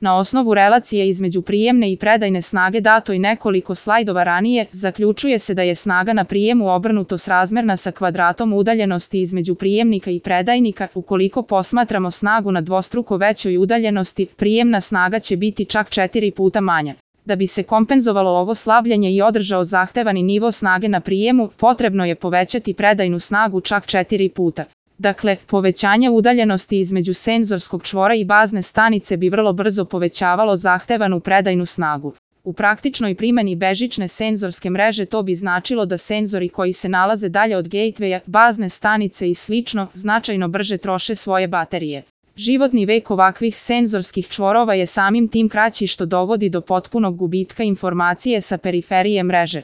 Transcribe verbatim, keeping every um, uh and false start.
Na osnovu relacije između prijemne i predajne snage dato i nekoliko slajdova ranije, zaključuje se da je snaga na prijemu obrnuto srazmerna sa kvadratom udaljenosti između prijemnika i predajnika. Ukoliko posmatramo snagu na dvostruko većoj udaljenosti, prijemna snaga će biti čak četiri puta manja. Da bi se kompenzovalo ovo slabljenje i održao zahtevani nivo snage na prijemu, potrebno je povećati predajnu snagu čak četiri puta. Dakle, povećanje udaljenosti između senzorskog čvora i bazne stanice bi vrlo brzo povećavalo zahtevanu predajnu snagu. U praktičnoj primjeni bežične senzorske mreže to bi značilo da senzori koji se nalaze dalje od gatewaya, bazne stanice i slično, značajno brže troše svoje baterije. Životni vek ovakvih senzorskih čvorova je samim tim kraći što dovodi do potpunog gubitka informacije sa periferije mreže.